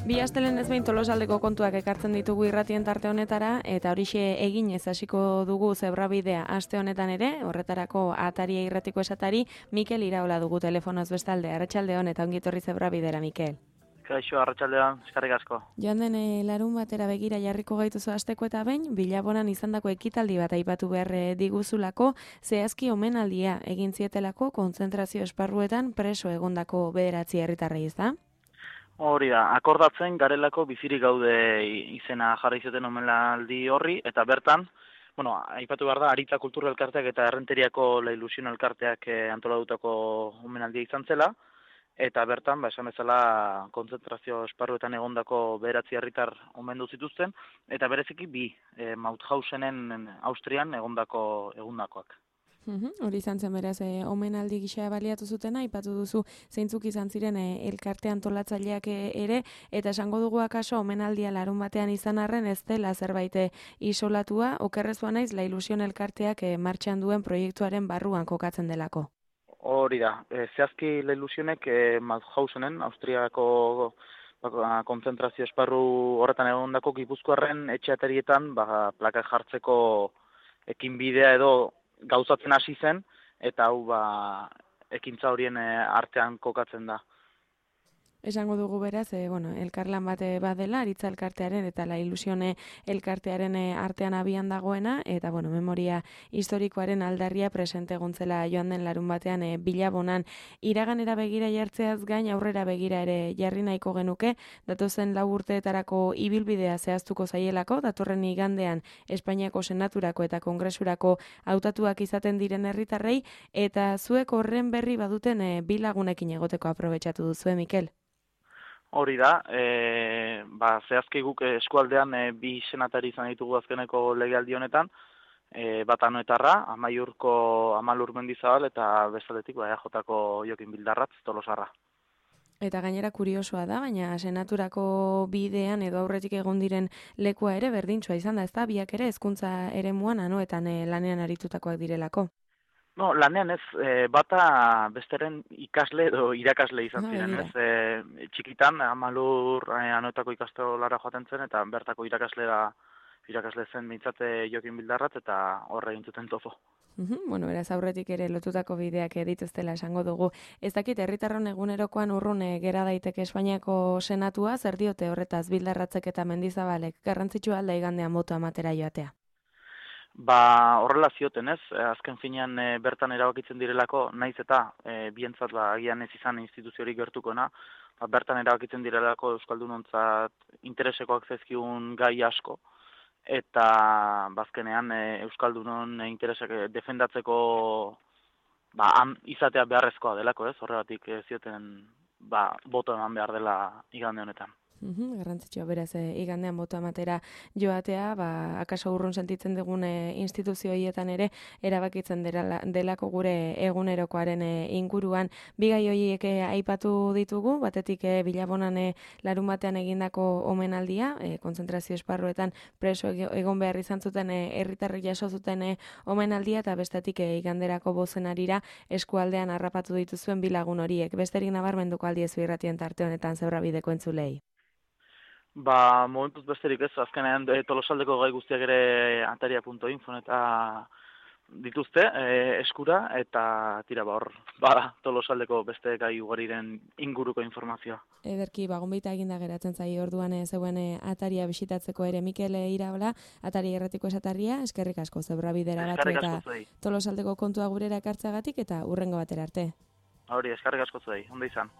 Bi astelen ez behin Tolosaldeko kontuak ekartzen ditugu irratien tarte honetara, eta horixe eginez hasiko dugu zebrabidea aste honetan ere, horretarako Ataria irratiko esatari, Mikel Iraola dugu telefonoz bestalde. Arratsaldeon eta ongi etorri zebrabidera, Mikel. Kaixo, arratsaldean, eskerrik asko. Joan den larun batera begira jarriko gaituzu asteko eta behin, Bilabonan izandako ekitaldi bat aipatu behar diguzulako, zehazki omenaldia egin zietelako kontzentrazio esparruetan preso egondako 9 herritarrei, ezta? Hori da, akordatzen garelako bizirik gaude izena jarri zuten omenaldi horri, eta bertan, aipatu behar da, Aritza Kultura Elkarteak eta Errenteriako La Ilusión Elkarteak antolatutako omenaldia izan zela, eta bertan, esan bezala, kontzentrazio esparruetan egondako 9 herritar omendu zituzten, eta bereziki bi, Mauthausenen Austrian egondakoak. Hori izan zen beraz, omenaldi gisa baliatu zutena, aipatu duzu zeintzuk izan ziren elkarte antolatzaileak ere, eta esango dugu akaso omenaldia larun batean izan arren ez dela zerbait isolatua, okerrezua naiz La Ilusión Elkarteak martxan duen proiektuaren barruan kokatzen delako. Hori da, zehazki La Ilusionek Mauthausenen, Austriako kontzentrazio esparru horretan egondako Gipuzkoarren etxeaterietan plaka jartzeko ekinbidea edo gauzatzen hasi zen, eta hau ekintza horien artean kokatzen da. Esango dugu beraz, elkarlan bat badela, Aritza Elkartearen eta La Ilusión Elkartearen artean abian dagoena, eta memoria historikoaren aldarria presente egontzela joan den larun batean Bilabonan. Iraganera begira jartzeaz gain aurrera begira ere jarri nahiko genuke, datozen 4 urteetarako ibilbidea zehaztuko zaielako, datorren igandean Espainiako Senaturako eta Kongresurako hautatuak izaten diren herritarrei, eta zuek horren berri baduten bi lagunekin egoteko aprobetxatu duzue, Mikel? Hori da, zehazki guk eskualdean bi senatari izan ditugu azkeneko legealdi honetan, bat Anoetarra, Amaiurko Amalur Mendizabal eta bestaldetik EAJko Jokin Bildarratz Tolosarra. Eta gainera kuriosoa da, baina Senaturako bidean edo aurretik egon diren lekua ere berdintsua izan da, ezta? Biak ere hezkuntza eremuan Anoetan lanean aritutakoak direlako. No, lanean ez, bata besteren ikasle edo irakasle izan ziren, ez? Txikitan, Amalur Anoetako ikastolara joaten zen, eta bertako irakasle zen mintzate Jokin Bildarratz, eta horre egin zuten topo. Beraz aurretik ere lotutako bideak dituztela esango dugu. Ez dakit, herritarron egunerokoan urrun gera daiteke Espainiako Senatua, zer diote horretaz Bildarratzek eta Mendizabalek garrantzitsua alda igandean boto ematera joatea? Horrela zioten ez, azken finean bertan erabakitzen direlako, naiz eta bientzat agian ez izan instituziorik gertukona, bertan erabakitzen direlako euskaldunontzat interesekoak zaizkigun gai asko, eta bazkenean euskaldunon interesak defendatzeko izatea beharrezkoa delako ez, horregatik zioten boto eman behar dela igande honetan. Garrantzitsua beraz igandean boto ematera joatea, akaso urrun sentitzen dugun instituzio horietan ere erabakitzen delako gure egunerokoaren inguruan. Bi gai horiek aipatu ditugu, batetik Bilabonan larun batean egindako omenaldia, kontzentrazio esparruetan preso egon behar izan zuten herritarrek jaso zuten omenaldia, eta bestetik iganderako bozenarira eskualdean harrapatu dituzuen bi lagun horiek. Besterik nabarmenduko aldiezu irratien tarte honetan zebrabideko entzulei. Momentuz besterik ez, azkenean Tolosaldeko gai guztiak ere ataria.info eta dituzte eskura, eta tira hor, Tolosaldeko beste gai ugariren inguruko informazioa. Ederki, gonbita eginda geratzen zai orduan zeuen Ataria bisitatzeko ere. Mikel Iraola, Ataria irratiko esatarria, eskerrik asko zebrabidera batu eta Tolosaldeko kontua gurera ekartzeagatik, eta hurrengo batera arte. Hori, eskerrik asko zuei, ondo izan.